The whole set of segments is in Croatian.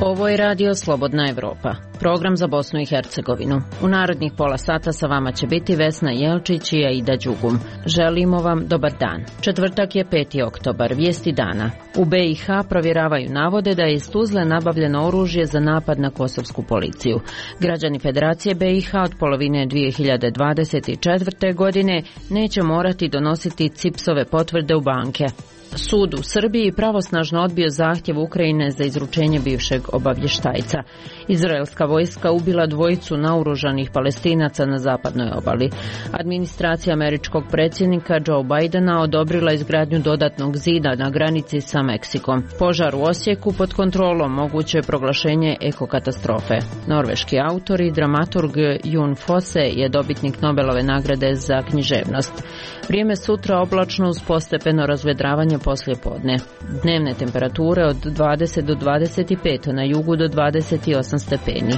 Ovo je radio Slobodna Evropa, program za Bosnu i Hercegovinu. U narednih pola sata sa vama će biti Vesna Jelčić i Aida Đugum. Želimo vam dobar dan. Četvrtak je 5. oktobar, vijesti dana. U BiH provjeravaju navode da je iz Tuzle nabavljeno oružje za napad na kosovsku policiju. Građani Federacije BiH od polovine 2024. godine neće morati donositi CIPS-ove potvrde u banke. Sud u Srbiji pravosnažno odbio zahtjev Ukrajine za izručenje bivšeg obavještajca. Izraelska vojska ubila dvojicu naoružanih Palestinaca na zapadnoj obali. Administracija američkog predsjednika Joe Bidena odobrila izgradnju dodatnog zida na granici sa Meksikom. Požar u Osijeku pod kontrolom, moguće je proglašenje ekokatastrofe. Norveški autor i dramaturg Jon Fosse je dobitnik Nobelove nagrade za književnost. Vrijeme sutra oblačno uz postepeno razvedravanje poslije podne. Dnevne temperature od 20 do 25, na jugu do 28 stepeni.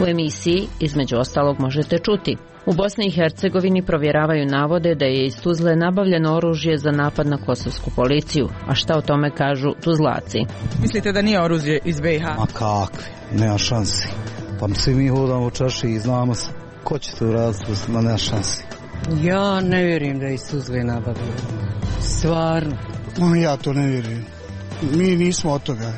U emisiji, između ostalog, možete čuti: u Bosni i Hercegovini provjeravaju navode da je iz Tuzle nabavljeno oružje za napad na kosovsku policiju. A šta o tome kažu Tuzlaci? Mislite da nije oružje iz BiH? Ma kakve, nema šansi. Pa svi mi hodamo u čaši i znamo se. Ko će to uraditi, ma nema šansi. Ja ne vjerujem da je iz Tuzle nabavljeno. Stvarno. Ja to ne vjerujem. Mi nismo od toga.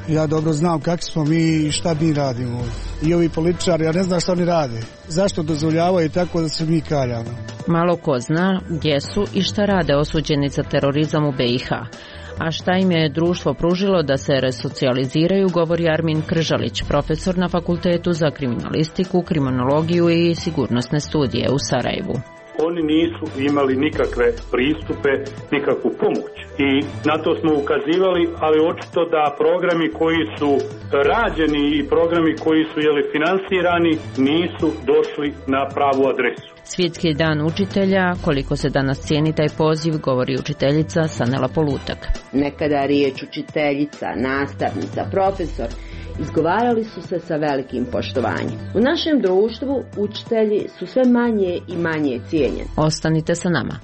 Ja dobro znam kakvi smo mi i šta mi radimo. I ovi političari, ja ne znam šta oni rade. Zašto dozvoljavaju tako da se mi kaljamo? Malo ko zna gdje su i šta rade osuđeni za terorizam u BiH. A šta im je društvo pružilo da se resocijaliziraju, govori Armin Kržalić, profesor na Fakultetu za kriminalistiku, kriminologiju i sigurnosne studije u Sarajevu. Oni nisu imali nikakve pristupe, nikakvu pomoć. I na to smo ukazivali, ali očito da programi koji su rađeni i programi koji su finansirani nisu došli na pravu adresu. Svjetski dan učitelja, koliko se danas cijeni taj poziv, govori učiteljica Sanela Polutak. Nekada riječ učiteljica, nastavnica, profesor izgovarali su se sa velikim poštovanjem. U našem društvu učitelji su sve manje i manje cijenjeni. Ostanite sa nama.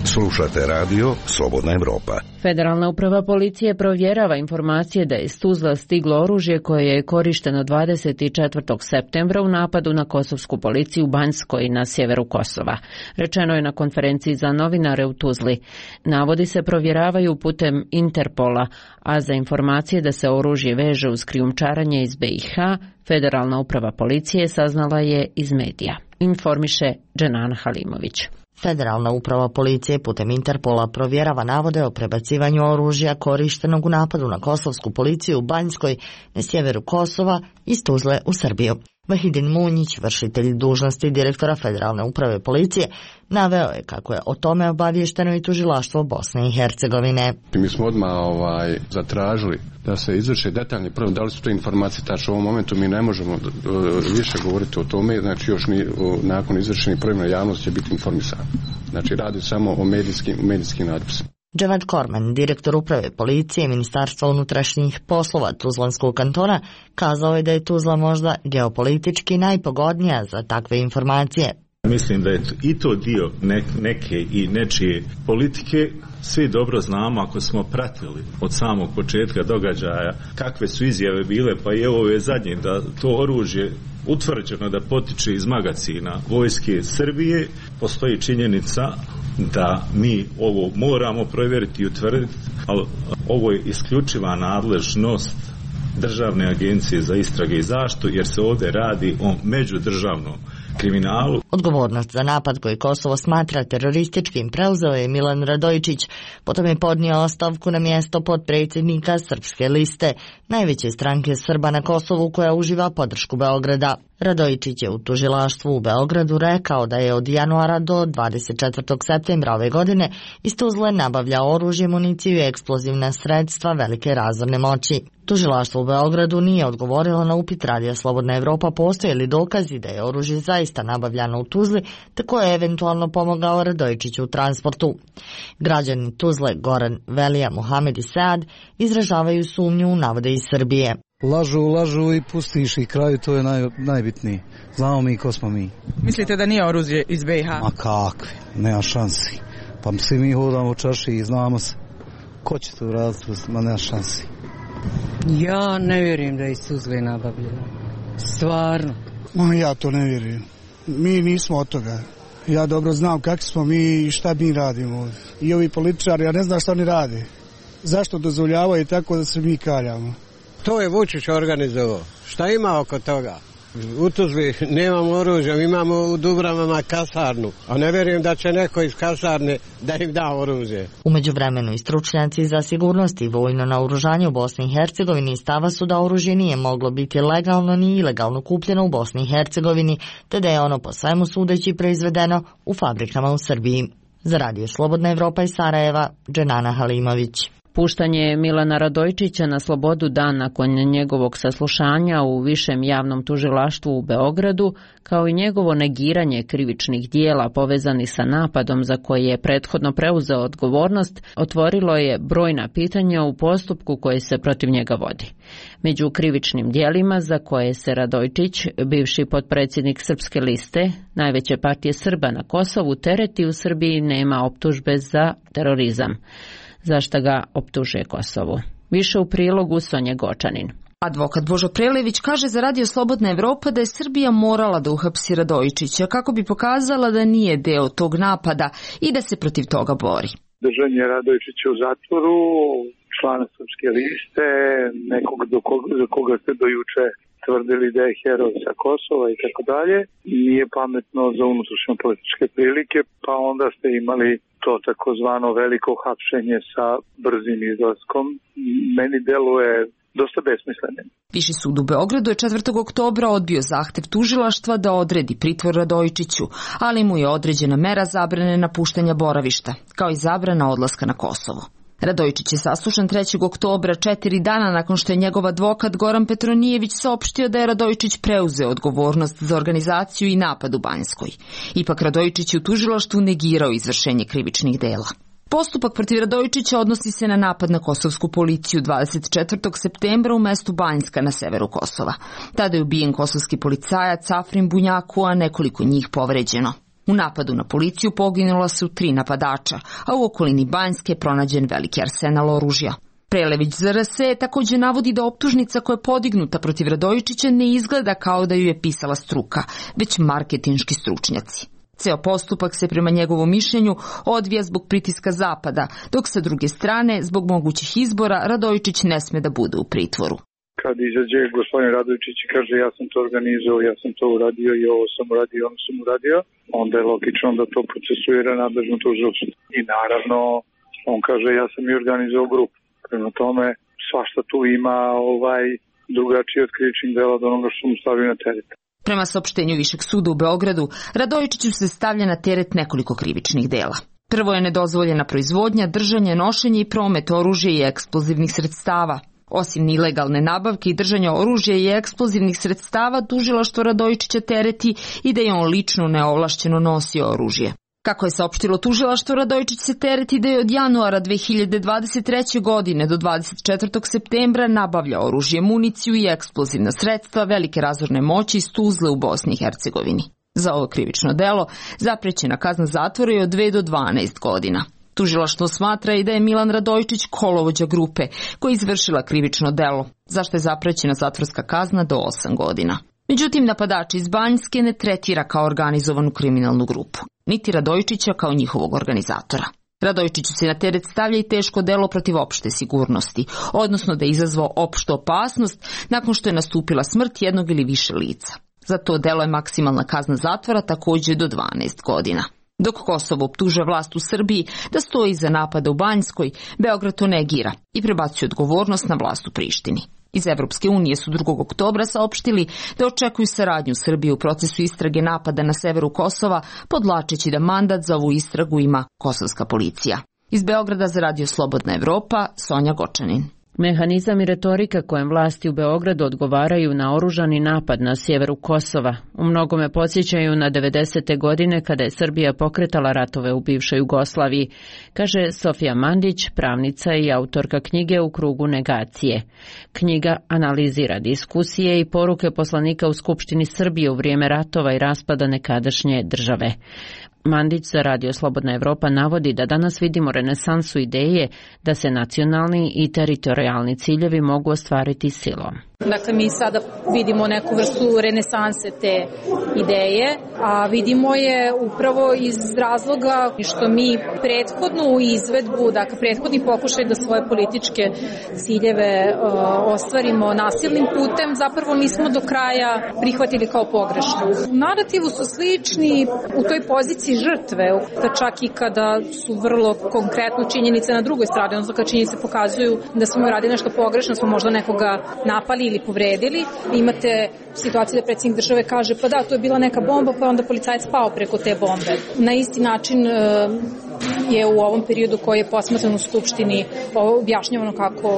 Slušate radio Slobodna Evropa. Federalna uprava policije provjerava informacije da je iz Tuzla stiglo oružje koje je korišteno 24. septembra u napadu na kosovsku policiju u Banjskoj na sjeveru Kosova. Rečeno je na konferenciji za novinare u Tuzli. Navodi se provjeravaju putem Interpola, a za informacije da se oružje veže uz krijumčarenje iz BiH, Federalna uprava policije saznala je iz medija. Informiše Dženana Halimović. Federalna uprava policije putem Interpola provjerava navode o prebacivanju oružja korištenog u napadu na kosovsku policiju u Banjskoj na sjeveru Kosova iz Tuzle u Srbiju. Vahidin Munjić, vršitelj dužnosti direktora Federalne uprave policije, naveo je kako je o tome obaviješteno i tužilaštvo Bosne i Hercegovine. Mi smo odmah zatražili da se izvrše detaljni provjere, da li su to informacije tačno. U ovom momentu mi ne možemo više govoriti o tome, znači još nakon izvršenih provjera javnost će biti informisana. Znači radi samo o medijskim natpisima. Dževad Korman, direktor uprave policije Ministarstva unutrašnjih poslova Tuzlanskog kantona, kazao je da je Tuzla možda geopolitički najpogodnija za takve informacije. Mislim da je i to dio neke i nečije politike. Svi dobro znamo, ako smo pratili od samog početka događaja kakve su izjave bile, pa i ovo je zadnje, da to oružje utvrđeno da potiče iz magacina vojske Srbije. Postoji činjenica da mi ovo moramo provjeriti i utvrditi, ali ovo je isključiva nadležnost Državne agencije za istrage i zaštitu, jer se ovdje radi o međudržavnom kriminalu. Odgovornost za napad koji Kosovo smatra terorističkim preuzeo je Milan Radojičić, potom je podnio ostavku na mjesto potpredsjednika Srpske liste, najveće stranke Srba na Kosovu koja uživa podršku Beograda. Radojičić je u tužilaštvu u Beogradu rekao da je od januara do 24. septembra ove godine iz Tuzle nabavljao oružje, municiju i eksplozivna sredstva velike razorne moći. Tužilaštvo u Beogradu nije odgovorilo na upit Radija Slobodna Evropa postoje li dokazi da je oružje zaista nabavljano u Tuzli, te ko je eventualno pomogao Radojičiću u transportu. Građani Tuzle Goran Velija, Muhamed i Saad izražavaju sumnju u navode iz Srbije. Lažu i pustiš i kraju, to je najbitnije. Znamo mi ko smo mi. Mislite da nije oružje iz BiH? Ma kakve, nema šansi. Pa svi mi hodamo u čaši i znamo se. Ko će to raditi, ma nema šansi. Ja ne vjerujem da je suzve nabavljeno. Stvarno. Ja to ne vjerujem. Mi nismo od toga. Ja dobro znam kakvi smo mi i šta mi radimo. I ovi političari, ja ne znam šta oni rade. Zašto dozvoljavaju tako da se mi kaljamo? To je Vučić organizovao. Šta ima oko toga? U Tuzli nemamo oružja, imamo u Dubravama kasarnu, a ne vjerujem da će neko iz kasarne da im da oružje. U međuvremenu i stručnjaci za sigurnost i vojno naoružanje u Bosni i Hercegovini stava su da oružje nije moglo biti legalno ni ilegalno kupljeno u Bosni i Hercegovini, te da je ono po svemu sudeći proizvedeno u fabrikama u Srbiji. Za Radio Slobodna Evropa iz Sarajeva, Dženana Halimović. Puštanje Milana Radojčića na slobodu dan nakon njegovog saslušanja u Višem javnom tužilaštvu u Beogradu, kao i njegovo negiranje krivičnih dijela povezanih sa napadom za koje je prethodno preuzeo odgovornost, otvorilo je brojna pitanja u postupku koji se protiv njega vodi. Među krivičnim dijelima za koje se Radojčić, bivši potpredsjednik Srpske liste, najveće partije Srba na Kosovu, tereti u Srbiji nema optužbe za terorizam. Zašto ga optužuje Kosovo? Više u prilogu Sonje Gočanin. Advokat Božo Prelević kaže za Radio Slobodna Evropa da je Srbija morala da uhapsi Radojčića kako bi pokazala da nije deo tog napada i da se protiv toga bori. Držanje Radojčića u zatvoru, člana Srpske liste, nekog za koga ste do juče tvrdili da je heroj sa Kosova i tako dalje, nije pametno za unutrašnje političke prilike, pa onda ste imali to takozvano veliko hapšenje sa brzim izlaskom. Meni deluje dosta besmislenim. Viši sud u Beogradu je 4. oktobra odbio zahtev tužilaštva da odredi pritvor Radojčiću, ali mu je određena mera zabrane napuštanja boravišta, kao i zabrana odlaska na Kosovo. Radojčić je saslušan 3. oktobra, 4 dana nakon što je njegov advokat Goran Petronijević saopštio da je Radojčić preuzeo odgovornost za organizaciju i napad u Banjskoj. Ipak Radojčić je u tužilaštvu negirao izvršenje krivičnih dela. Postupak protiv Radojčića odnosi se na napad na kosovsku policiju 24. septembra u mestu Banjska na severu Kosova. Tada je ubijen kosovski policajac Afrin Bunjaku, a nekoliko njih povređeno. U napadu na policiju poginula su 3 napadača, a u okolini Banjske je pronađen veliki arsenal oružja. Prelević za RS također navodi da optužnica koja je podignuta protiv Radojčića ne izgleda kao da ju je pisala struka, već marketinški stručnjaci. Ceo postupak se prema njegovom mišljenju odvija zbog pritiska Zapada, dok sa druge strane, zbog mogućih izbora, Radojčić ne sme da bude u pritvoru. Kad izađe gospodin Radojčić i kaže ja sam to organizovao, ja sam to uradio i ovo sam uradio, ono sam uradio, onda je logično da to procesuira nadležno tužilaštvo. I naravno, on kaže ja sam i organizovao grupu. Prema tome, svašta tu ima drugačije od krivičnih dela od onoga što mu stavio na teret. Prema saopštenju Višeg suda u Beogradu, Radojčiću se stavlja na teret nekoliko krivičnih dela. Prvo je nedozvoljena proizvodnja, držanje, nošenje i promet oružja i eksplozivnih sredstava. Osim ilegalne nabavke i držanja oružja i eksplozivnih sredstava, tužilaštvo Radojčića tereti i da je on lično neovlašćeno nosio oružje. Kako je saopštilo tužilaštvo, Radojčić se tereti da je od januara 2023. godine do 24. septembra nabavlja oružje, municiju i eksplozivna sredstva velike razorne moći iz Tuzle u Bosni i Hercegovini. Za ovo krivično delo zaprećena kazna zatvora je od 2 do 12 godina. Tužilaštvo smatra i da je Milan Radojčić kolovođa grupe koja je izvršila krivično delo, zašto je zaprećena zatvorska kazna do 8 godina. Međutim, napadač iz Banjske ne tretira kao organizovanu kriminalnu grupu, niti Radojčića kao njihovog organizatora. Radojčiću se na teret stavlja i teško delo protiv opšte sigurnosti, odnosno da je izazvao opštu opasnost nakon što je nastupila smrt jednog ili više lica. Za to delo je maksimalna kazna zatvora također do 12 godina. Dok Kosovo optužuje vlast u Srbiji da stoji iza napada u Banjskoj, Beograd to negira i prebacuje odgovornost na vlast u Prištini. Iz Evropske unije su 2. oktobra saopštili da očekuju saradnju Srbije u procesu istrage napada na severu Kosova, podlačeći da mandat za ovu istragu ima kosovska policija. Iz Beograda za Radio Slobodna Evropa, Sonja Gočanin. Mehanizam i retorika kojem vlasti u Beogradu odgovaraju na oružani napad na sjeveru Kosova u mnogome podsjećaju na 90. godine kada je Srbija pokretala ratove u bivšoj Jugoslaviji, kaže Sofija Mandić, pravnica i autorka knjige U krugu negacije. Knjiga analizira diskusije i poruke poslanika u Skupštini Srbije u vrijeme ratova i raspada nekadašnje države. Mandić za Radio Slobodna Evropa navodi da danas vidimo renesansu ideje da se nacionalni i teritorijalni ciljevi mogu ostvariti silom. Dakle, mi sada vidimo neku vrstu renesanse te ideje, a vidimo je upravo iz razloga što mi prethodnu izvedbu, dakle prethodni pokušaj da svoje političke ciljeve ostvarimo nasilnim putem, zapravo nismo do kraja prihvatili kao pogrešno. U narativu su slični u toj poziciji žrtve, da čak i kada su vrlo konkretno činjenice na drugoj strani, odnosno kad činjenice pokazuju da smo radili nešto pogrešno, smo možda nekoga napali ili povredili. Imate situaciju da predsjednik države kaže pa da, to je bila neka bomba, pa onda policajac pao preko te bombe. Na isti način je u ovom periodu koji je posmatran u Skupštini objašnjavano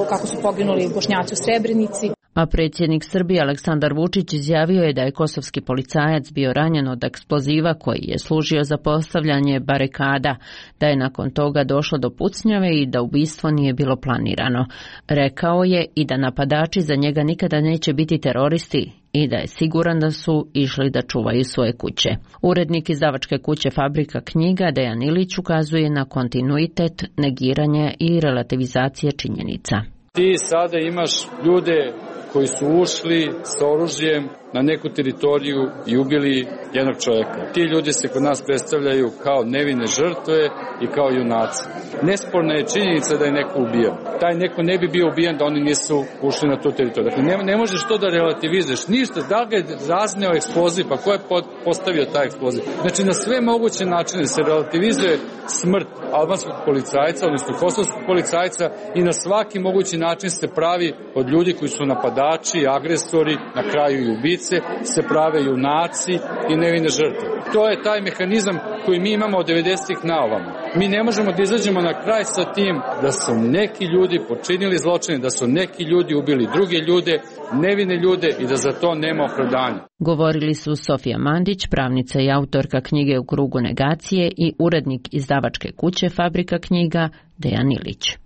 kako su poginuli Bošnjaci u Srebrenici. A predsjednik Srbije Aleksandar Vučić izjavio je da je kosovski policajac bio ranjen od eksploziva koji je služio za postavljanje barikada, da je nakon toga došlo do pucnjave i da ubistvo nije bilo planirano. Rekao je i da napadači za njega nikada neće biti teroristi i da je siguran da su išli da čuvaju svoje kuće. Urednik izdavačke kuće Fabrika knjiga Dejan Ilić ukazuje na kontinuitet, negiranje i relativizacije činjenica. Ti sada imaš ljude koji su ušli sa oružjem na neku teritoriju i ubili jednog čovjeka. Ti ljudi se kod nas predstavljaju kao nevine žrtve i kao junaci. Nesporna je činjenica da je neko ubijen. Taj neko ne bi bio ubijen da oni nisu ušli na tu teritoriju. Dakle, ne možeš to da relativizuješ. Ništa, da li ga je razneo eksploziv, pa ko je postavio taj eksploziv? Znači, na sve moguće načine se relativizuje smrt albanskog policajca, odnosno kosovskog policajca i na svaki mogući način se pravi od ljudi koji su napadači, agresori, na kraju i ubice, se prave junaci i nevine žrtve. To je taj mehanizam koji mi imamo od 90-ih na ovamo. Mi ne možemo da izađemo na kraj sa tim da su neki ljudi počinili zločine, da su neki ljudi ubili druge ljude, nevine ljude i da za to nema opravdanja. Govorili su Sofija Mandić, pravnica i autorka knjige U krugu negacije i urednik izdavačke kuće Fabrika knjiga Dejan Ilić.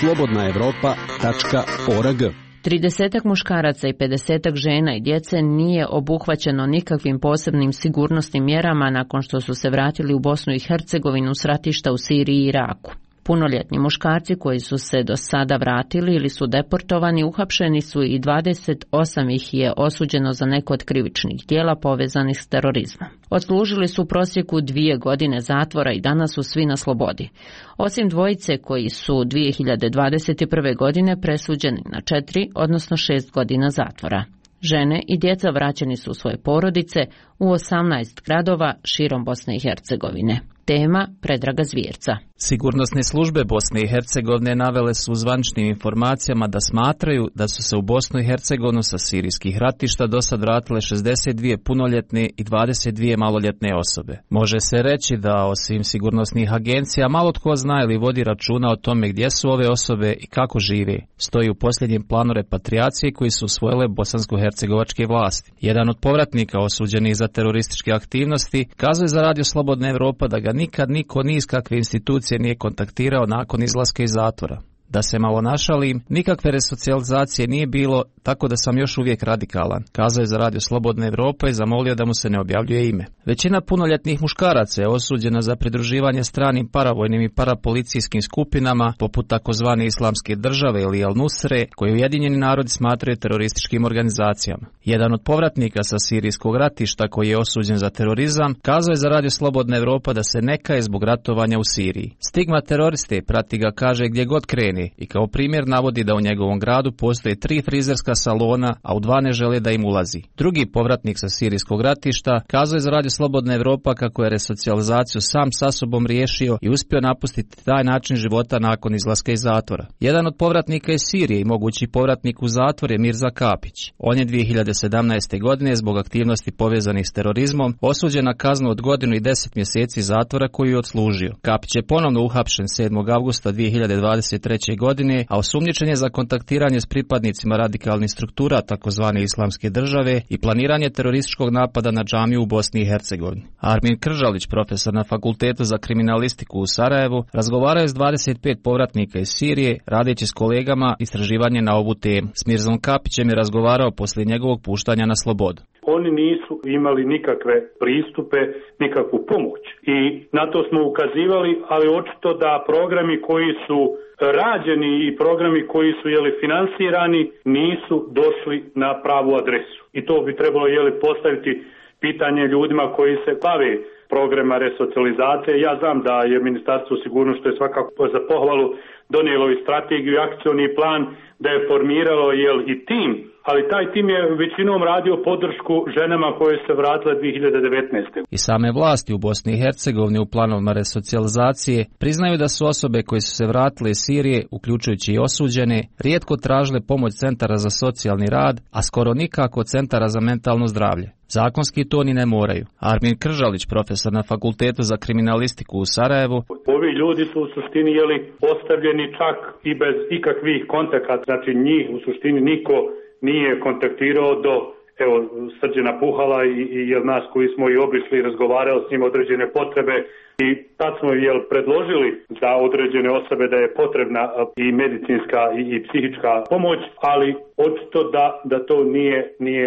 slobodnaevropa.org 30 muškaraca i 50 žena i djece nije obuhvaćeno nikakvim posebnim sigurnosnim mjerama nakon što su se vratili u Bosnu i Hercegovinu s ratišta u Siriji i Iraku. Punoljetni muškarci koji su se do sada vratili ili su deportovani uhapšeni su i 28 ih je osuđeno za neko od krivičnih djela povezanih s terorizmom. Odslužili su u prosjeku 2 godine zatvora i danas su svi na slobodi. Osim dvojice koji su 2021. godine presuđeni na 4, odnosno 6 godina zatvora. Žene i djeca vraćeni su u svoje porodice u 18 gradova širom Bosne i Hercegovine. Tema Predraga Zvjerca. Sigurnosne službe Bosne i Hercegovine navele su u zvaničnim informacijama da smatraju da su se u Bosnu i Hercegovinu sa sirijskih ratišta do sad vratile 62 punoljetne i 22 maloljetne osobe. Može se reći da osim sigurnosnih agencija malo tko zna ili vodi računa o tome gdje su ove osobe i kako žive. Stoji u posljednjem planu repatriacije koji su usvojile bosansko-hercegovačke vlasti. Jedan od povratnika osuđenih za terorističke aktivnosti kazuje za Radio Slobodna Evropa da ga nikad niko ni iz kakve institucije nije kontaktirao nakon izlaska iz zatvora. Da se malo našalim, nikakve resocijalizacije nije bilo, tako da sam još uvijek radikalan, kazao je za Radio Slobodna Evropa i zamolio da mu se ne objavljuje ime. Većina punoljetnih muškaraca je osuđena za pridruživanje stranim paravojnim i parapolicijskim skupinama, poput takozvane Islamske države ili Al-Nusre, koje Ujedinjeni narodi smatraju terorističkim organizacijama. Jedan od povratnika sa sirijskog ratišta koji je osuđen za terorizam, kazao je za Radio Slobodna Evropa da se ne kaje zbog ratovanja u Siriji. Stigma teroriste prati ga, kaže, gdje god krene, i kao primjer navodi da u njegovom gradu postoje 3 frizerska salona, a u 2 ne žele da im ulazi. Drugi povratnik sa sirijskog ratišta kazao je za Radio Slobodna Evropa kako je resocijalizaciju sam sa sobom riješio i uspio napustiti taj način života nakon izlaska iz zatvora. Jedan od povratnika iz Sirije i mogući povratnik u zatvor je Mirza Kapić. On je 2017. godine zbog aktivnosti povezanih s terorizmom osuđen na kaznu od 1 godinu i 10 mjeseci zatvora koju je odslužio. Kapić je ponovno uhapšen 7. avgusta 2023. 2003. godine, a osumnjičen je za kontaktiranje s pripadnicima radikalnih struktura takozvane Islamske države i planiranje terorističkog napada na džamiju u Bosni i Hercegovini. Armin Kržalić, profesor na Fakultetu za kriminalistiku u Sarajevu, razgovarao je s 25 povratnika iz Sirije, radeći s kolegama istraživanje na ovu temu. S Mirzom Kapićem je razgovarao poslije njegovog puštanja na slobodu. Oni nisu imali nikakve pristupe, nikakvu pomoć i na to smo ukazivali, ali očito da programi koji su rađeni i programi koji su finansirani nisu došli na pravu adresu. I to bi trebalo postaviti pitanje ljudima koji se bave programa resocijalizacije. Ja znam da je Ministarstvo sigurnosti, što je svakako za pohvalu, donijelo i strategiju i akcioni plan, da je formiralo i tim, ali taj tim je većinom radio podršku ženama koje se vratile 2019. I same vlasti u Bosni i Hercegovini u planovima resocijalizacije priznaju da su osobe koje su se vratile iz Sirije, uključujući i osuđene, rijetko tražile pomoć centara za socijalni rad, a skoro nikako centara za mentalno zdravlje. Zakonski to ni ne moraju. Armin Kržalić, profesor na Fakultetu za kriminalistiku u Sarajevu. Ovi ljudi su u suštini ostavljeni čak i bez ikakvih kontakata. Znači njih u suštini niko nije kontaktirao do Srđana Puhala i nas koji smo i obišli i razgovarali s njim određene potrebe i tad smo predložili za određene osobe da je potrebna i medicinska i psihička pomoć, ali očito da to nije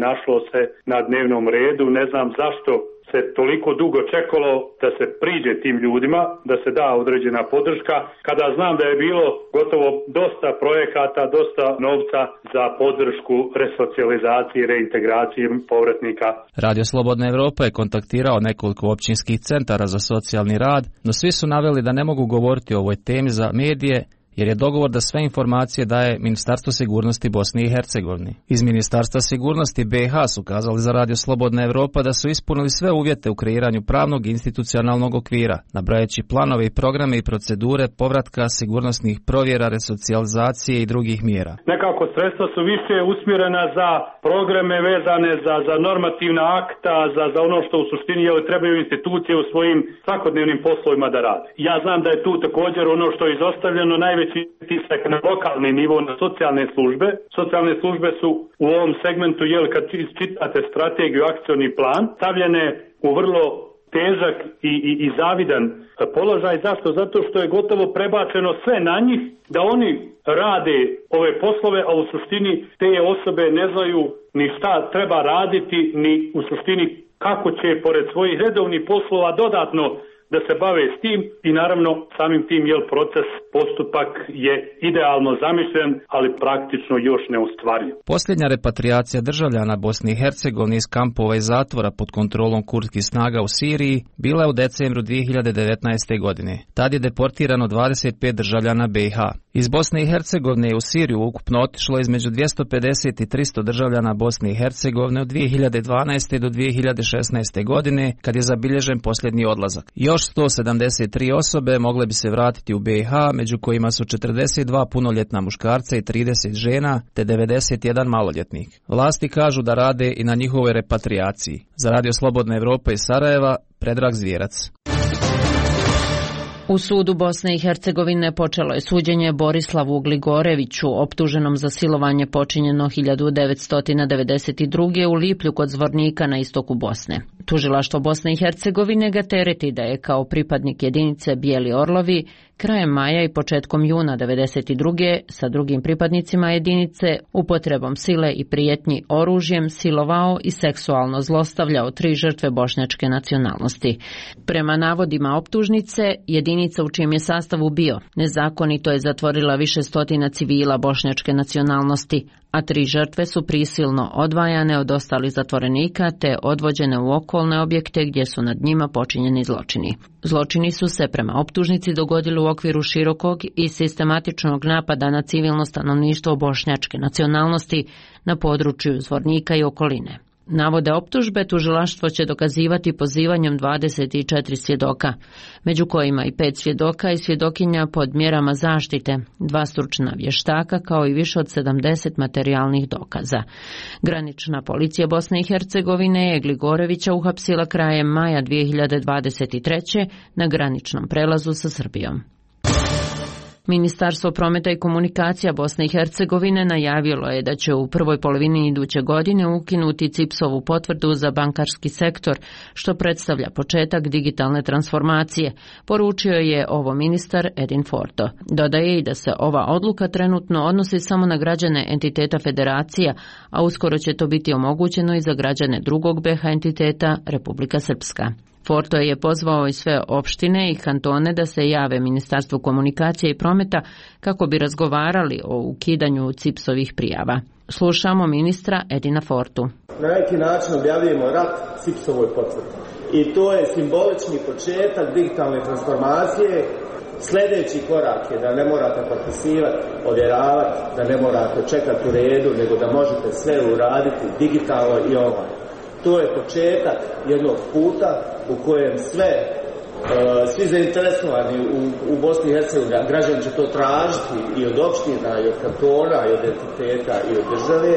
našlo se na dnevnom redu. Ne znam zašto se toliko dugo čekalo da se priđe tim ljudima, da se da određena podrška, kada znam da je bilo gotovo dosta projekata, dosta novca za podršku resocijalizacije i reintegracije povratnika. Radio Slobodna Evropa je kontaktirao nekoliko općinskih centara za socijalni rad, no svi su naveli da ne mogu govoriti o ovoj temi za medije, jer je dogovor da sve informacije daje Ministarstvo sigurnosti Bosne i Hercegovine. Iz Ministarstva sigurnosti BiH su kazali za Radio Slobodna Evropa da su ispunili sve uvjete u kreiranju pravnog i institucionalnog okvira, nabrajajući planove i programe i procedure povratka, sigurnosnih provjera, resocijalizacije i drugih mjera. Nekako sredstva su više usmjerena za programe vezane za normativna akta, za ono što u suštini trebaju institucije u svojim svakodnevnim poslovima da rade. Ja znam da je tu također ono što je izostavljeno najveći tisak na lokalni nivo, na socijalne službe. Socijalne službe su u ovom segmentu, kad čitate strategiju, akcioni plan, stavljene u vrlo težak i zavidan položaj. Zašto? Zato što je gotovo prebačeno sve na njih, da oni rade ove poslove, a u suštini te osobe ne znaju ni šta treba raditi, ni u suštini kako će pored svojih redovnih poslova dodatno da se bave s tim i naravno samim tim proces, postupak je idealno zamišljen, ali praktično još ne ostvariv. Posljednja repatriacija državljana Bosne i Hercegovine iz kampova i zatvora pod kontrolom kurdskih snaga u Siriji bila je u decembru 2019. godine. Tad je deportirano 25 državljana BiH. Iz Bosne i Hercegovine u Siriju ukupno otišlo između 250 i 300 državljana Bosne i Hercegovine od 2012. do 2016. godine, kad je zabilježen posljednji odlazak. Još 173 osobe mogle bi se vratiti u BiH, među kojima su 42 punoljetna muškarca i 30 žena, te 91 maloljetnik. Vlasti kažu da rade i na njihovoj repatriaciji. Za Radio Slobodna Evropa iz Sarajeva, Predrag Zvjerac. U sudu Bosne i Hercegovine počelo je suđenje Borislavu Gligoreviću, optuženom za silovanje počinjeno 1992. u Liplju kod Zvornika na istoku Bosne. Tužilaštvo Bosne i Hercegovine ga tereti da je kao pripadnik jedinice Bijeli Orlovi krajem maja i početkom juna 1992. sa drugim pripadnicima jedinice upotrebom sile i prijetnji oružjem silovao i seksualno zlostavljao 3 žrtve bošnjačke nacionalnosti. Prema navodima optužnice, jedinica u čijem je sastavu bio nezakonito je zatvorila više stotina civila bošnjačke nacionalnosti, a 3 žrtve su prisilno odvajane od ostalih zatvorenika te odvođene u okolne objekte gdje su nad njima počinjeni zločini. Zločini su se prema optužnici dogodili u okviru širokog i sistematičnog napada na civilno stanovništvo bošnjačke nacionalnosti na području Zvornika i okoline. Navode optužbe tužilaštvo će dokazivati pozivanjem 24 svjedoka, među kojima i 5 svjedoka i svjedokinja pod mjerama zaštite, 2 stručna vještaka kao i više od 70 materijalnih dokaza. Granična policija Bosne i Hercegovine je Gligorevića uhapsila krajem maja 2023. na graničnom prelazu sa Srbijom. Ministarstvo prometa i komunikacija Bosne i Hercegovine najavilo je da će u prvoj polovini iduće godine ukinuti CIPS-ovu potvrdu za bankarski sektor, što predstavlja početak digitalne transformacije, poručio je ovo ministar Edin Forto. Dodaje i da se ova odluka trenutno odnosi samo na građane entiteta federacija, a uskoro će to biti omogućeno i za građane drugog BiH entiteta Republika Srpska. Forto je pozvao i sve opštine i kantone da se jave Ministarstvu komunikacije i prometa kako bi razgovarali o ukidanju CIPS-ovih prijava. Slušamo ministra Edina Fortu. Na neki način objavljujemo rat CIPS-ovoj potvrdi. I to je simbolični početak digitalne transformacije. Sljedeći korak je da ne morate potpisivati, ovjeravati, da ne morate čekati u redu, nego da možete sve uraditi digitalno i online. To je početak jednog puta u kojem svi zainteresovani u Bosni i Hercegovini, građani će to tražiti i od opština, i od kantona, i od entiteta, i od države.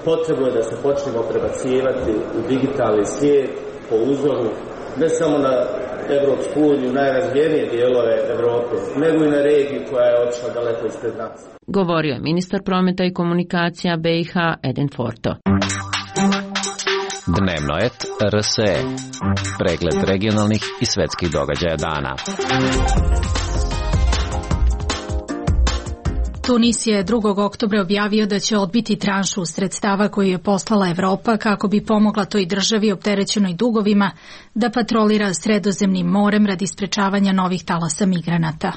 Potrebno je da se počnemo prebacivati u digitalni svijet po uzoru ne samo na Evropsku uniju, najrazvijenije dijelove Evrope, nego i na regiju koja je otišla daleko ispred nas. Govorio je ministar prometa i komunikacija BiH Edin Forto. Dnevnoet RSE. Pregled regionalnih i svetskih događaja dana. Tunis je 2. oktobra objavio da će odbiti tranšu sredstava koju je poslala Evropa kako bi pomogla toj državi opterećenoj dugovima da patrolira Sredozemnim morem radi sprečavanja novih talasa migranata.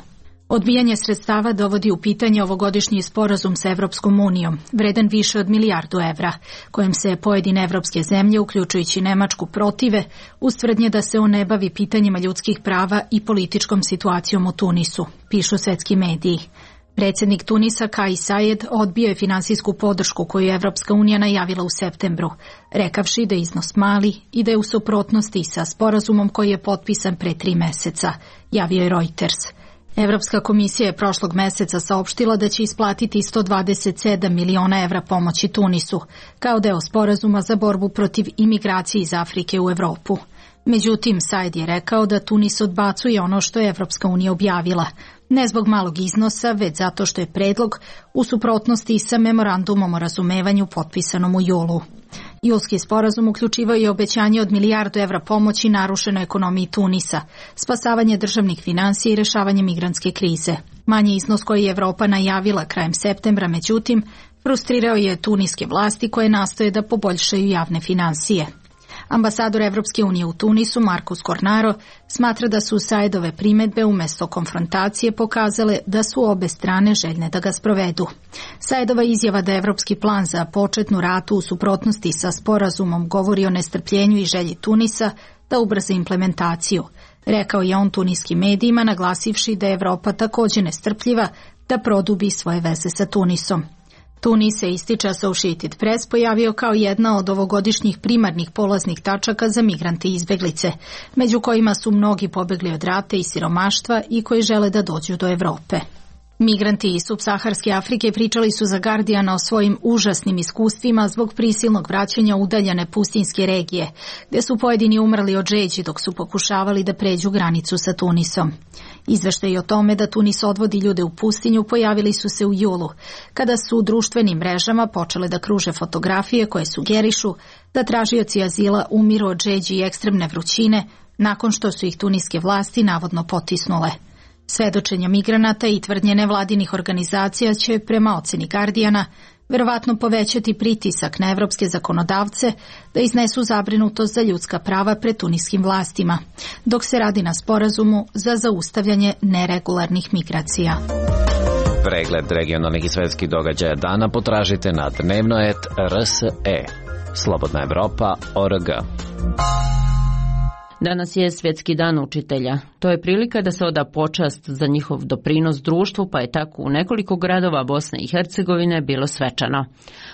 Odbijanje sredstava dovodi u pitanje ovogodišnji sporazum sa Evropskom unijom, vredan više od milijardu evra, kojim se pojedine evropske zemlje, uključujući Nemačku, protive, uz tvrdnje da se on ne bavi pitanjima ljudskih prava i političkom situacijom u Tunisu, pišu svetski mediji. Predsjednik Tunisa Kais Saied odbio je finansijsku podršku koju je Evropska unija najavila u septembru, rekavši da je iznos mali i da je u suprotnosti sa sporazumom koji je potpisan pre 3 meseca, javio je Reuters. Evropska komisija je prošlog meseca saopštila da će isplatiti 127 miliona evra pomoći Tunisu, kao deo sporazuma za borbu protiv imigracije iz Afrike u Evropu. Međutim, Said je rekao da Tunis odbacuje ono što je Evropska unija objavila, ne zbog malog iznosa, već zato što je predlog u suprotnosti sa memorandumom o razumevanju potpisanom u julu. Julski sporazum uključivao je obećanje od milijardu evra pomoći narušenoj ekonomiji Tunisa, spasavanje državnih finansija i rešavanje migrantske krize. Manji iznos koji je Evropa najavila krajem septembra, međutim, frustrirao je tuniske vlasti koje nastoje da poboljšaju javne finansije. Ambasador Evropske unije u Tunisu, Markus Cornaro, smatra da su Saidove primedbe umjesto konfrontacije pokazale da su obe strane željne da ga sprovedu. Saidova izjava da evropski plan za početnu ratu u suprotnosti sa sporazumom govori o nestrpljenju i želji Tunisa da ubrza implementaciju. Rekao je on tuniskim medijima, naglasivši da je Evropa također nestrpljiva da produbi svoje veze sa Tunisom. Tunis se, ističe Associated Press, pojavio kao jedna od ovogodišnjih primarnih polaznih tačaka za migrante i izbeglice, među kojima su mnogi pobegli od rata i siromaštva i koji žele da dođu do Evrope. Migranti iz subsaharske Afrike pričali su za Guardiana o svojim užasnim iskustvima zbog prisilnog vraćanja u udaljene pustinjske regije, gdje su pojedini umrli od žeđi dok su pokušavali da pređu granicu sa Tunisom. Izveštaji o tome da Tunis odvodi ljude u pustinju pojavili su se u julu, kada su u društvenim mrežama počele da kruže fotografije koje sugerišu da tražioci azila umiru od žeđi i ekstremne vrućine nakon što su ih tuniske vlasti navodno potisnule. Svedočenja migranata i tvrdnje nevladinih organizacija će, prema oceni Guardiana, verovatno povećati pritisak na evropske zakonodavce da iznesu zabrinutost za ljudska prava pred tuniskim vlastima, dok se radi na sporazumu za zaustavljanje neregularnih migracija. Pregled regionalnih i svetskih događaja dana potražite na dnevnoet.rse. Slobodna Evropa.org. Danas je Svjetski dan učitelja. To je prilika da se oda počast za njihov doprinos društvu, pa je tako u nekoliko gradova Bosne i Hercegovine bilo svečano.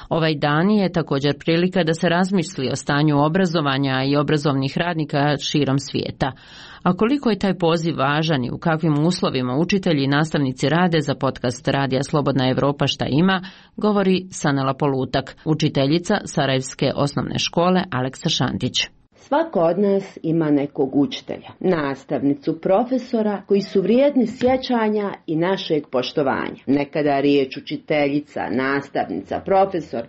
Ovaj dan je također prilika da se razmisli o stanju obrazovanja i obrazovnih radnika širom svijeta. A koliko je taj poziv važan i u kakvim uslovima učitelji i nastavnici rade, za podcast Radija Slobodna Evropa šta ima, govori Sanela Polutak, učiteljica Sarajevske osnovne škole Aleksa Šantić. Svako od nas ima nekog učitelja, nastavnicu, profesora koji su vrijedni sjećanja i našeg poštovanja. Nekada riječ učiteljica, nastavnica, profesor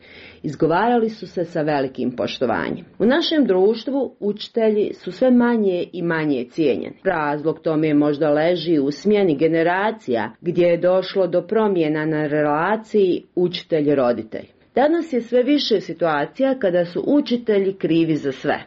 izgovarali su se sa velikim poštovanjem. U našem društvu učitelji su sve manje i manje cijenjeni. Razlog tome možda leži u smjeni generacija gdje je došlo do promjena na relaciji učitelj-roditelj. Danas je sve više situacija kada su učitelji krivi za sve.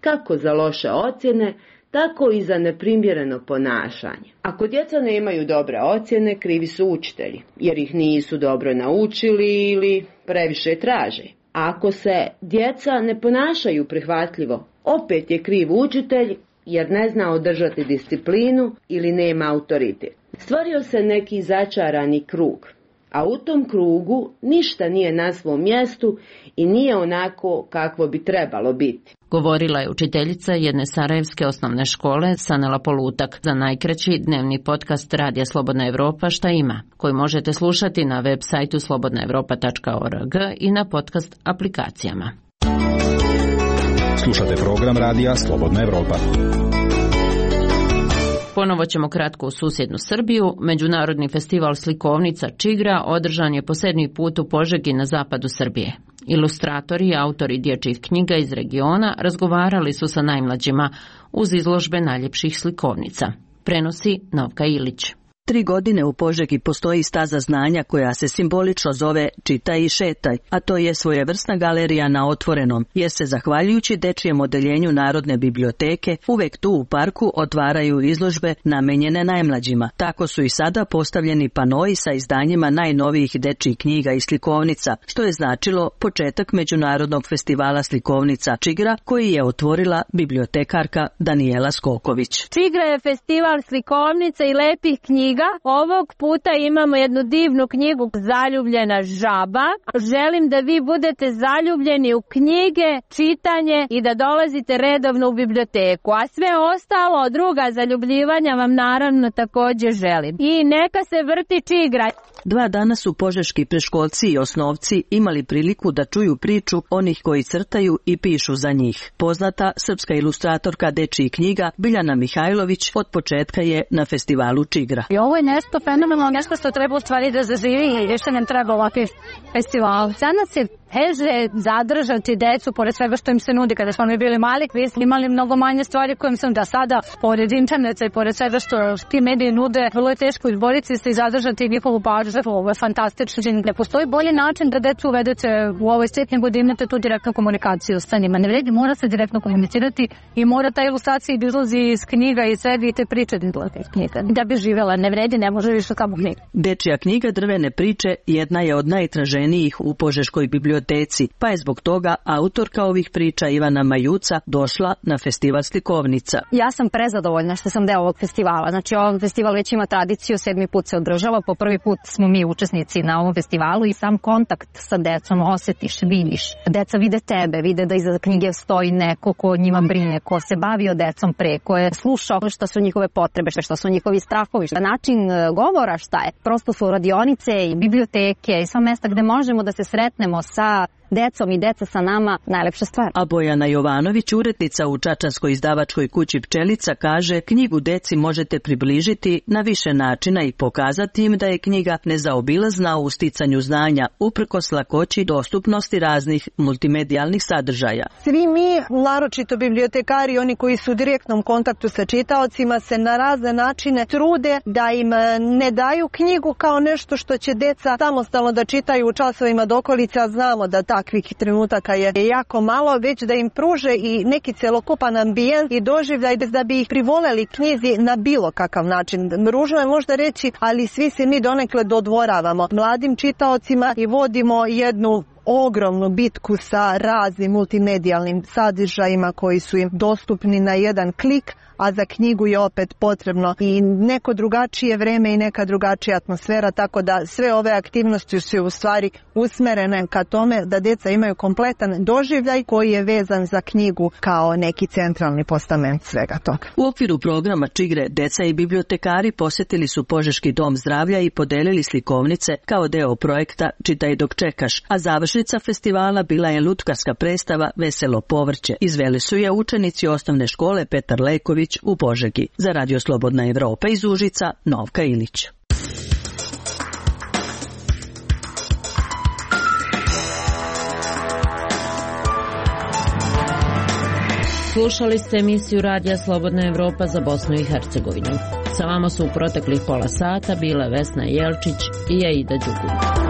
Kako za loše ocjene, tako i za neprimjereno ponašanje. Ako djeca nemaju dobre ocjene, krivi su učitelji, jer ih nisu dobro naučili ili previše traže. A ako se djeca ne ponašaju prihvatljivo, opet je kriv učitelj, jer ne zna održati disciplinu ili nema autoritet. Stvorio se neki začarani krug, a u tom krugu ništa nije na svom mjestu i nije onako kakvo bi trebalo biti. Govorila je učiteljica jedne sarajevske osnovne škole Sanela Polutak za najkraći dnevni podcast Radija Slobodna Evropa Šta ima, koji možete slušati na web sajtu slobodnaevropa.org i na podcast aplikacijama. Slušate program Radija Slobodna Evropa. Ponovo ćemo kratko u susjednu Srbiju. Međunarodni festival slikovnica Čigra održan je po 7. put u Požegi na zapadu Srbije. Ilustratori i autori dječjih knjiga iz regiona razgovarali su sa najmlađima uz izložbe najljepših slikovnica. Prenosi Novka Ilić. 3 godine u Požegi postoji staza znanja koja se simbolično zove Čitaj i šetaj, a to je svojevrsna galerija na otvorenom, jer se zahvaljujući dečijem odeljenju Narodne biblioteke uvek tu u parku otvaraju izložbe namenjene najmlađima. Tako su i sada postavljeni panoi sa izdanjima najnovijih dečjih knjiga i slikovnica, što je značilo početak Međunarodnog festivala slikovnica Čigra, koji je otvorila bibliotekarka Danijela Skoković. Čigra je festival slikovnica i lepih knjiga. Ovog puta imamo jednu divnu knjigu Zaljubljena žaba. Želim da vi budete zaljubljeni u knjige, čitanje i da dolazite redovno u biblioteku. A sve ostalo, druga zaljubljivanja vam naravno također želim. I neka se vrti Čigra. 2 dana su požeški preškolci i osnovci imali priliku da čuju priču onih koji crtaju i pišu za njih. Poznata srpska ilustratorka dečjih knjiga Biljana Mihajlović od početka je na festivalu Čigra. I ovo je nešto fenomenalno, nešto što treba u stvari da zaživi i više nam treba ovakvi festival. Danas je teže zadržati decu pored svega što im se nudi. Kada smo mi bili mali, vi smo imali mnogo manje stvari kojim sam da sada, pored interneta i pored svega što ti mediji nude, vrlo je teško izboriti se i zadržati njihovu pažnju. Ovo je fantastično. Ne postoji bolji način da decu uvedete u ovoj svijet nego da imate tu direktnu komunikaciju sa njima. Ne vredi, mora se direktno komunicirati i mora ta ilustracija da izlazi iz knjiga i sve i te priče iz knjiga. Da bi živjela, ne vredi, ne može više samo knjiga. Dečja knjiga Drvene priče jedna je od najtraženijih u Požeškoj biblioteci, pa je zbog toga autorka ovih priča Ivana Majuca došla na festival slikovnica. Ja sam prezadovoljna što sam deo ovog festivala. Znači, ovaj festival već ima tradiciju, 7. put se održava, po prvi put smo mi učesnici na ovom festivalu i sam kontakt sa decom osjetiš, vidiš. Deca vide tebe, vide da iza knjige stoji neko ko njima brine, ko se bavio decom pre, ko je slušao šta su njihove potrebe, šta su njihovi strahovi, šta način govora šta je. Prosto su radionice i biblioteke i sva mesta gde možemo da se sretnemo sa decom i deca sa nama najlepša stvar. A Bojana Jovanović, urednica u čačanskoj izdavačkoj kući Pčelica, kaže knjigu deci možete približiti na više načina i pokazati im da je knjiga nezaobilazna u sticanju znanja uprkos lakoći dostupnosti raznih multimedijalnih sadržaja. Svi mi, naročito bibliotekari, oni koji su u direktnom kontaktu sa čitaocima, se na razne načine trude da im ne daju knjigu kao nešto što će deca samostalno da čitaju u časovima dokolice, a znamo da takvih trenutaka je jako malo, već da im pruže i neki celokupan ambijent i doživljaj da bi ih privoleli knjizi na bilo kakav način. Ružno je možda reći, ali svi se mi donekle dodvoravamo mladim čitaocima i vodimo jednu ogromnu bitku sa raznim multimedijalnim sadržajima koji su im dostupni na jedan klik, a za knjigu je opet potrebno i neko drugačije vreme i neka drugačija atmosfera, tako da sve ove aktivnosti su u stvari usmerene ka tome da deca imaju kompletan doživljaj koji je vezan za knjigu kao neki centralni postament svega toga. U okviru programa Čigre deca i bibliotekari posjetili su Požeški dom zdravlja i podelili slikovnice kao deo projekta Čitaj dok čekaš, a završni Završnica festivala bila je lutkarska predstava Veselo povrće. Izveli su je učenici osnovne škole Petar Leković u Požegi. Za Radio Slobodna Evropa iz Užica, Novka Ilić. Slušali ste emisiju Radija Slobodna Evropa za Bosnu i Hercegovinu. Sa vama su u proteklih pola sata bile Vesna Jelčić i Aida Đugum.